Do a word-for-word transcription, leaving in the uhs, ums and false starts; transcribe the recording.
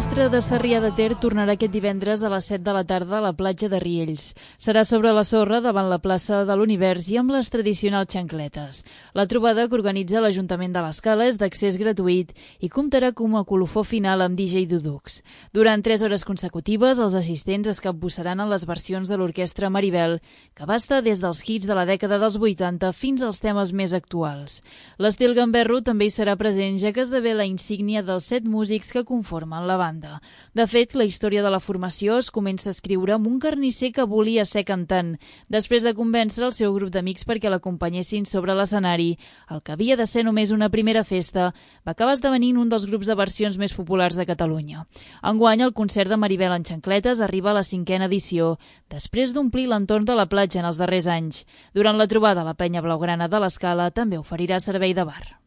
L'Orquestra de Sarrià de Ter tornarà aquest divendres a les set de la tarda a la platja de Riells. Serà sobre la sorra davant la plaça de l'Univers i amb les tradicionals xancletes. La trobada que organitza l'Ajuntament de l'Escala és d'accés gratuït i comptarà com a colofó final amb D J Dudux. Durant tres hores consecutives, els assistents es capbussaran en les versions de l'Orquestra Maribel, que abasta des dels hits de la dècada dels vuitanta fins als temes més actuals. L'estil gamberro també hi serà present, ja que esdevé la insígnia dels set músics que conformen la banda. De fet, la història de la formació es comença a escriure amb un carnisser que volia ser cantant, després de convèncer el seu grup d'amics perquè l'acompanyessin sobre l'escenari. El que havia de ser només una primera festa va acabar esdevenint un dels grups de versions més populars de Catalunya. Enguany, el concert de Maribel en xancletes arriba a la cinquena edició, després d'omplir l'entorn de la platja en els darrers anys. Durant la trobada, la penya blaugrana de l'Escala també oferirà servei de bar.